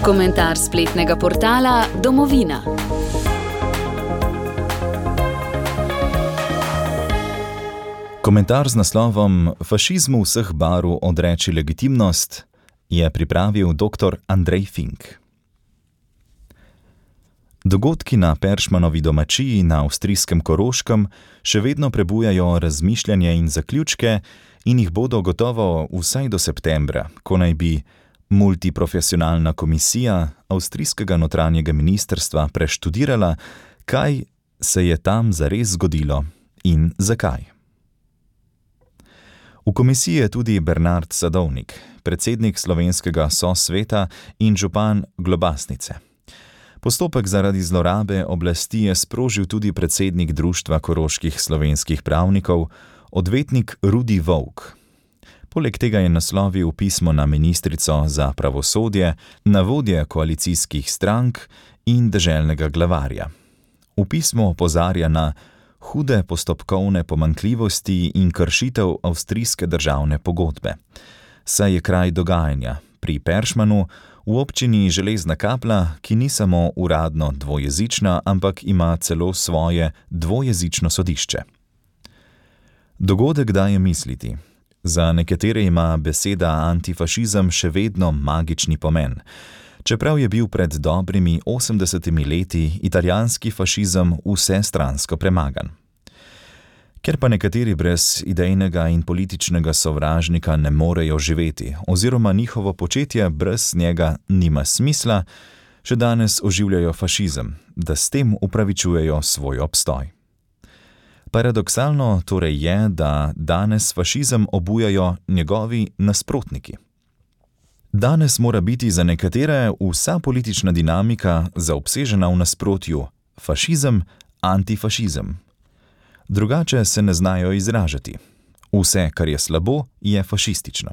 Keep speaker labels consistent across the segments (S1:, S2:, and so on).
S1: Komentar spletnega portala Domovina.
S2: Komentar z naslovom Fašizmu vseh barv odreči legitimnost je pripravil dr. Andrej Fink. Dogodki na Peršmanovi domačiji na avstrijskem Koroškem še vedno prebujajo razmišljanje in zaključke in jih bodo gotovo vsaj do septembra, ko naj bi multiprofesionalna komisija avstrijskega notranjega ministrstva preštudirala, kaj se je tam zares zgodilo in zakaj. V komisiji je tudi Bernard Sadovnik, predsednik slovenskega sosveta in župan Globasnice. Postopek zaradi zlorabe oblasti je sprožil tudi predsednik Društva koroških slovenskih pravnikov, odvetnik Rudi Volk. Poleg tega je naslovil pismo na ministrico za pravosodje, na vodje koalicijskih strank in deželnega glavarja. V pismu opozarja na hude postopkovne pomanjkljivosti in kršitev avstrijske državne pogodbe. Saj je kraj dogajanja pri Peršmanu v občini Železna Kapla, ki ni samo uradno dvojezična, ampak ima celo svoje dvojezično sodišče. Dogodek daje misliti. Za nekatere ima beseda antifašizem še vedno magični pomen, čeprav je bil pred dobrimi 80 leti italijanski fašizem vsestransko premagan. Ker pa nekateri brez idejnega in političnega sovražnika ne morejo živeti, oziroma njihovo početje brez njega nima smisla, še danes oživljajo fašizem, da s tem upravičujejo svoj obstoj. Paradoksalno torej je, da danes fašizem obujajo njegovi nasprotniki. Danes mora biti za nekatere vsa politična dinamika zaobsežena v nasprotju fašizem, antifašizem. Drugače se ne znajo izražati. Vse, kar je slabo, je fašistično.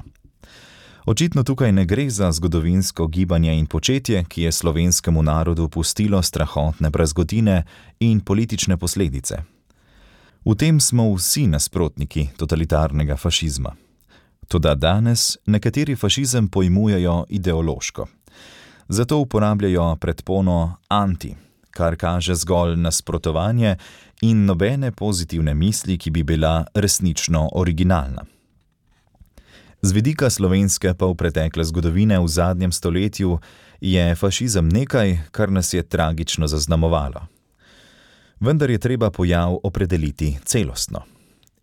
S2: Očitno tukaj ne gre za zgodovinsko gibanje in početje, ki je slovenskemu narodu pustilo strahotne brazgotine in politične posledice. V tem smo vsi nasprotniki totalitarnega fašizma. Toda danes nekateri fašizem pojmujejo ideološko. Zato uporabljajo predpono anti, kar kaže zgolj nasprotovanje in nobene pozitivne misli, ki bi bila resnično originalna. Z vidika slovenske pa v pretekle zgodovine v zadnjem stoletju je fašizem nekaj, kar nas je tragično zaznamovalo. Vendar je treba pojav opredeliti celostno.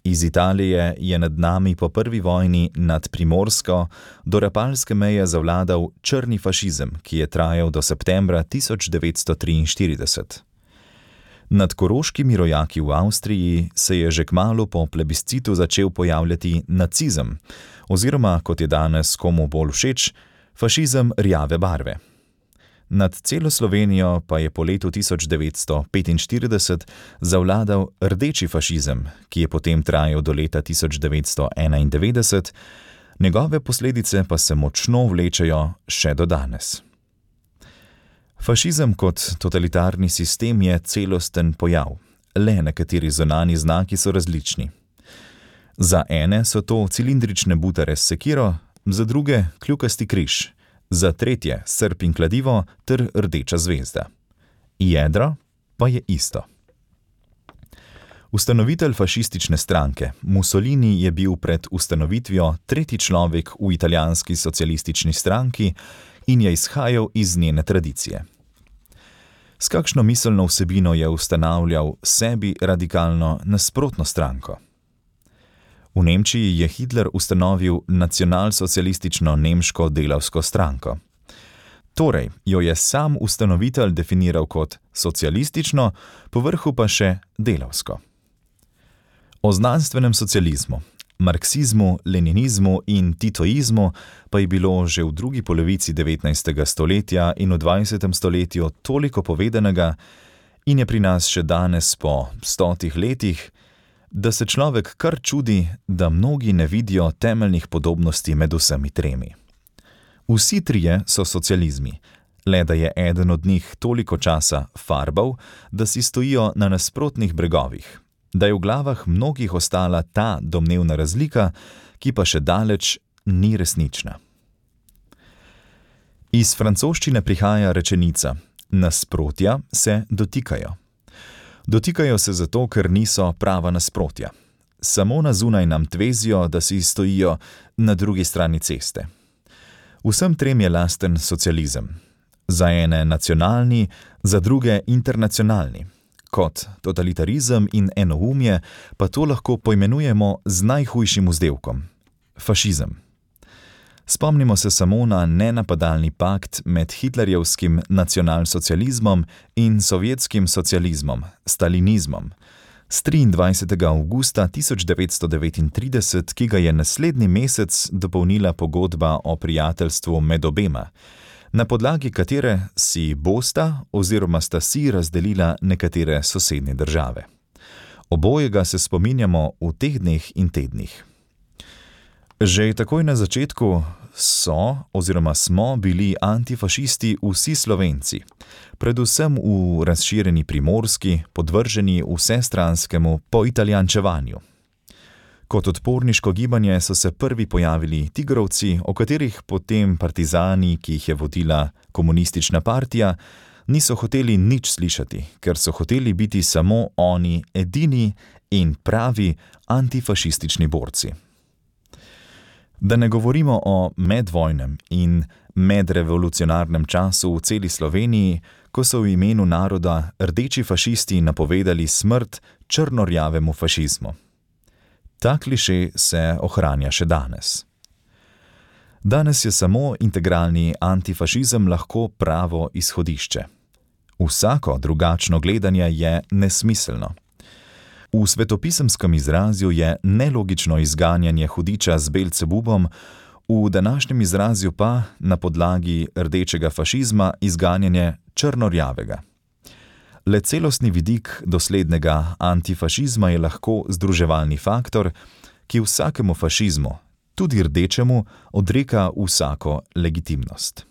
S2: Iz Italije je nad nami po prvi vojni nad Primorsko do Rapalske meje zavladal črni fašizem, ki je trajal do septembra 1943. Nad koroškimi rojaki v Avstriji se je že kmalu po plebiscitu začel pojavljati nacizem, oziroma, kot je danes komu bolj všeč, fašizem rjave barve. Nad celo Slovenijo pa je po letu 1945 zavladal rdeči fašizem, ki je potem trajal do leta 1991, njegove posledice pa se močno vlečejo še do danes. Fašizem kot totalitarni sistem je celosten pojav, le nekateri zunanji znaki so različni. Za ene so to cilindrične butare s sekiro, za druge kljukasti križ, za tretje srp in kladivo ter rdeča zvezda. Jedro pa je isto. Ustanovitelj fašistične stranke Mussolini je bil pred ustanovitvijo tretji človek v italijanski socialistični stranki in je izhajal iz njene tradicije. S kakšno miselno vsebino je ustanavljal sebi radikalno nasprotno stranko? V Nemčiji je Hitler ustanovil nacionalsocialistično nemško delavsko stranko. Torej jo je sam ustanovitelj definiral kot socialistično, povrhu pa še delavsko. O znanstvenem socializmu, marksizmu, leninizmu in titoizmu pa je bilo že v drugi polovici 19. stoletja in v 20. stoletju toliko povedanega in je pri nas še danes po 100 letih, da se človek kar čudi, da mnogi ne vidijo temeljnih podobnosti med vsemi tremi. Vsi trije so socializmi, le da je eden od njih toliko časa farbal, da si stojijo na nasprotnih bregovih, da je v glavah mnogih ostala ta domnevna razlika, ki pa še daleč ni resnična. Iz francoščine prihaja rečenica: nasprotja se dotikajo. Dotikajo se zato, ker niso prava nasprotja. Samo na zunaj nam tvezijo, da si stojijo na drugi strani ceste. Vsem trem je lasten socializem. Za ene nacionalni, za druge internacionalni. Kot totalitarizem in enoumje pa to lahko poimenujemo z najhujšim vzdevkom – fašizem. Spomnimo se samo na nenapadalni pakt med hitlerjevskim nacionalsocializmom in sovjetskim socializmom, stalinizmom, z 23. avgusta 1939, ki ga je naslednji mesec dopolnila pogodba o prijateljstvu med obema, na podlagi katere si bosta oziroma sta si razdelila nekatere sosednje države. Obojega se spominjamo v teh dneh in tednih. Že takoj na začetku smo bili antifašisti vsi Slovenci, predvsem v razširjeni Primorski, podvrženi vsestranskemu poitalijančevanju. Kot odporniško gibanje so se prvi pojavili tigrovci, o katerih potem partizani, ki jih je vodila komunistična partija, niso hoteli nič slišati, ker so hoteli biti samo oni edini in pravi antifašistični borci. Da ne govorimo o medvojnem in medrevolucionarnem času v celi Sloveniji, ko so v imenu naroda rdeči fašisti napovedali smrt črnorjavemu fašizmu. Ta kliše se ohranja še danes. Danes je samo integralni antifašizem lahko pravo izhodišče. Vsako drugačno gledanje je nesmiselno. V svetopisemskem izrazju je nelogično izganjanje hudiča z Belcebubom, v današnjem izrazju pa na podlagi rdečega fašizma izganjanje črnorjavega. Le celostni vidik doslednega antifašizma je lahko združevalni faktor, ki vsakemu fašizmu, tudi rdečemu, odreka vsako legitimnost.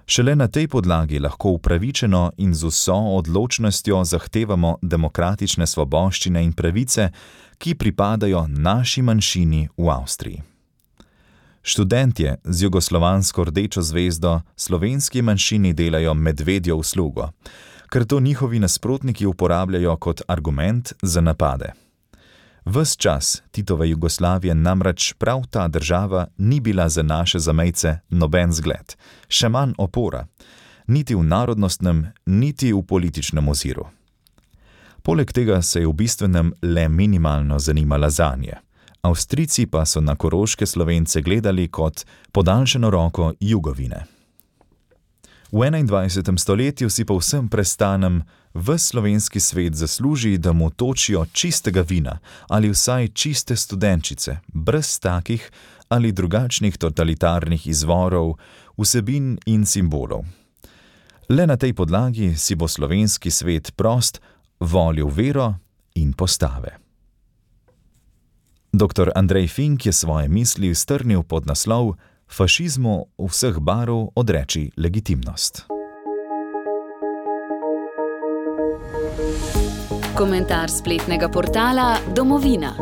S2: Šele na tej podlagi lahko upravičeno in z vso odločnostjo zahtevamo demokratične svoboščine in pravice, ki pripadajo naši manjšini v Avstriji. Študentje z jugoslovansko rdečo zvezdo slovenski manjšini delajo medvedjo uslugo, ker to njihovi nasprotniki uporabljajo kot argument za napade. Ves čas Titove Jugoslavije namreč prav ta država ni bila za naše zamejce noben zgled, še manj opora, niti v narodnostnem, niti v političnem oziru. Poleg tega se je v bistvenem le minimalno zanimala zanje. Avstrijci pa so na koroške Slovence gledali kot podaljšano roko Jugovine. V 21. stoletju si povsem prestanem ves slovenski svet zasluži, da mu točijo čistega vina ali vsaj čiste studenčice, brez takih ali drugačnih totalitarnih izvorov, vsebin in simbolov. Le na tej podlagi si bo slovenski svet prost volil vero in postave. Dr. Andrej Fink je svoje misli strnil pod naslov Fašizmu vseh barv odreči legitimnost.
S1: Komentar spletnega portala Domovina.